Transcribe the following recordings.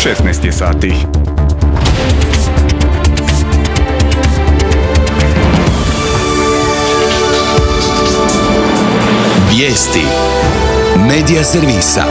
16 je sati. Vijesti Medija servisa.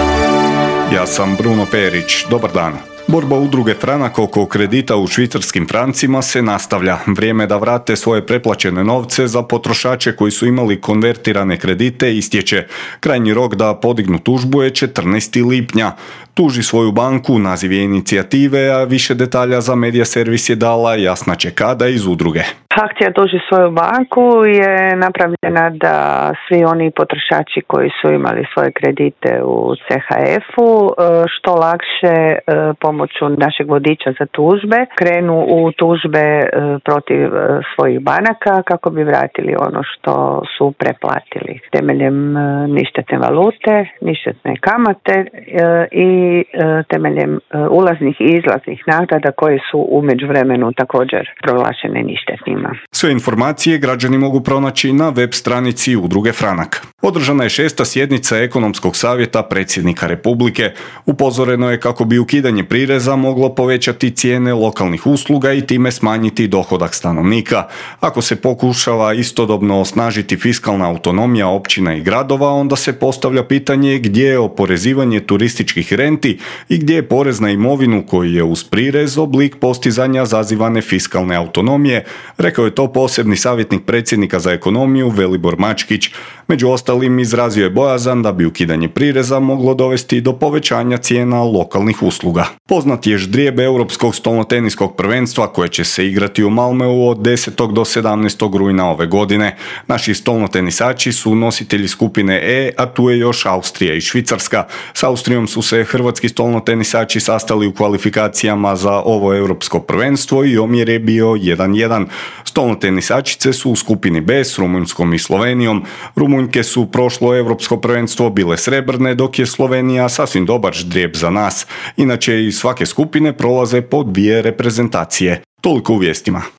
Ja sam Bruno Perić. Dobar dan. Borba udruge Franak oko kredita u švicarskim francima se nastavlja. Vrijeme je da vrate svoje preplaćene novce za potrošače koji su imali konvertirane kredite istječe. Krajnji rok da podignu tužbu je 14. lipnja. Tuži svoju banku, naziv je inicijative, a više detalja za Medija servis je dala Jasna Čekada iz udruge. Akcija tuži svoju banku je napravljena da svi oni potrošači koji su imali svoje kredite u CHF-u što lakše pomoću našeg vodiča za tužbe krenu u tužbe protiv svojih banaka kako bi vratili ono što su preplatili temeljem ništetne valute, ništetne kamate i temeljem ulaznih i izlaznih naknada koje su u međuvremenu također proglašene ništetnima. Sve informacije građani mogu pronaći na web stranici udruge Franak. Održana je 6. sjednica Ekonomskog savjeta predsjednika Republike. Upozoreno je kako bi ukidanje prireza moglo povećati cijene lokalnih usluga i time smanjiti dohodak stanovnika. Ako se pokušava istodobno osnažiti fiskalna autonomija općina i gradova, onda se postavlja pitanje gdje je oporezivanje turističkih renti i gdje je porez na imovinu koji je uz prirez oblik postizanja zazivane fiskalne autonomije, rekao je to posebni savjetnik predsjednika za ekonomiju Velibor Mačkić. Među ostalim izrazio je bojazan da bi ukidanje prireza moglo dovesti do povećanja cijena lokalnih usluga. Poznat je ždrijeb Europskog stolnoteniskog prvenstva koje će se igrati u Malmeu od 10. do 17. rujna ove godine. Naši stolnotenisači su nositelji skupine E, a tu je još Austrija i Švicarska. S Austrijom su se hrvatski stolnotenisači sastali u kvalifikacijama za ovo europsko prvenstvo i omjer je bio 1:1. Stolnotenisačice su u skupini B s Rumunjskom i Slovenijom. Rumunjke su prošlo europsko prvenstvo bile srebrne, dok je Slovenija sasvim dobar ždrijeb za nas. Inače iz svake skupine prolaze po 2 reprezentacije. Toliko u vijestima.